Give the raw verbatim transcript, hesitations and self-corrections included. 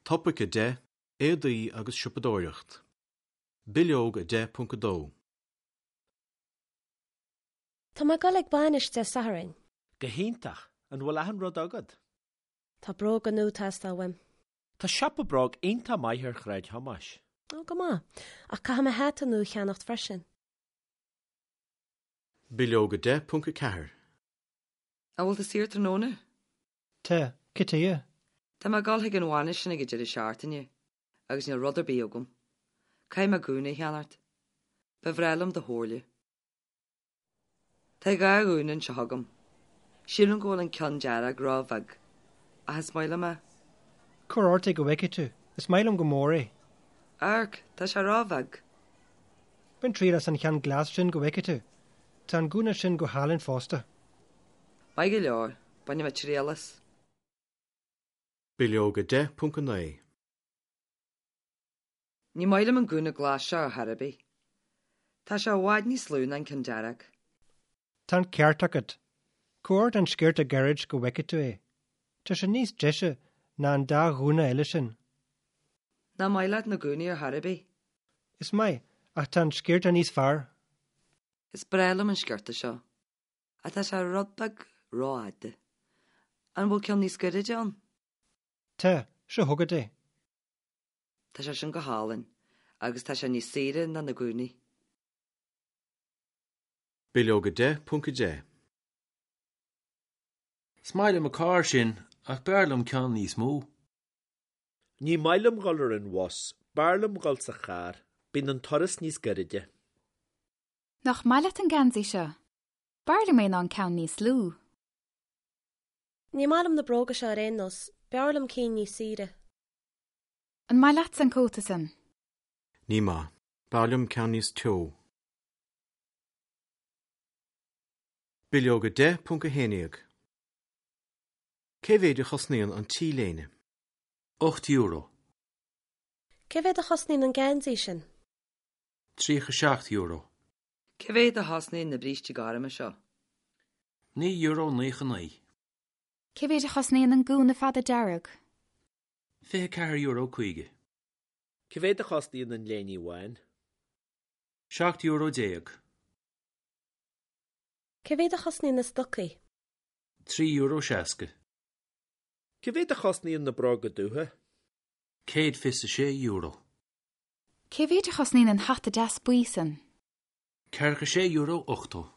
Topaic a deich, Éadaí agus siopadóireacht. Bileog a deich ponc a dó. Tá mé ag dul ag bainis Dé Sathairn. Go hiontach! An bhfuil achan rud agat? Tá bróga nua ag teastáil uaim. Tá siopa bróg iontach maith ar Shráid Thomáis. Ó, go maith. Ach caithfidh mé hata nua a cheannacht freisin. Bileog a deich ponc a ceathair. An bhfuil tú saor tráthnóna? Tá, cad chuige? Tá mé ag dul chuig an bhainis sin ag an deireadh seachtaine agus níl rud ar bith agam. Caithfidh mé gúna a cheannacht. Ba bhreá liom do chomhairle. Tá dhá ghúna anseo agam. Sílim go bhfuil an ceann dearg ró-bheag, ach is maith liom é. Cuir ort é go bhfeicfidh tú, is maith liom go mór é. Amharc, tá sé ró-bheag. Bain triail as an cheann glas sin go bhfeicfidh tú. Tá an gúna sin go hálainn fosta. Maith go leor, bainfidh mé triail as. Bileog a deich ponc a naoi. Ní maith liom an gúna glas seo ar chor ar bith. Tá sé i bhfad níos lú ná an ceann dearg. Tá an ceart agat. Cuir ort an sciorta gairid go bhfeicfidh tú é. Tá sé níos deise ná an dá ghúna eile sin. Nach maith leat na gúnaí ar chor ar bith? Is maith, ach tá an sciorta níos fearr. Is breá liom an sciorta seo, ach tá sé rud beag rófhada. An bhfuil ceann níos gairide ann? Tá, seo chugat é. Tá sé sin go hálainn, agus tá sé níos saoire ná na gúnaí. Bileog a deich ponc a deich. Is maith liom an carr sin ach b'fhearr liom ceann níos mó. Ní maith liom dul ar an bhus, b'fhearr liom dul sa charr, bíonn an turas níos gairide. Nach maith leat an geansaí seo? B'fhearr liom é ná an ceann níos lú. Ní maith liom na bróga seo ar aon nós, b'fhearr liom cinn níos saoire. An maith leatsa an cóta sin? Ní maith, b'fhearr liom ceann níos teo. Bileog a deich ponc a haon déag. Cé mhéad a chosnaíonn an T-léine? Ocht euro. Cé mhéad a chosnaíonn an geansaí sin? Tríocha seacht euro. Cé mhéad a chosnaíonn na brístí gorma seo? Naoi euro naocha naoi. Cé mhéad a chosnaíonn an gúna fada dearg? Fiche ceathair euro caoga. Cé mhéad a chosnaíonn an léine bhán? Seacht euro déag. Cé mhéad a chosnaíonn na stocaí? Trí euro seasca. Cé mhéad a chosnaíonn na bróga dubha? Céad fiche sé euro. Cé mhéad a chosnaíonn an hata deas buí sin? Ceathracha sé euro ochtó.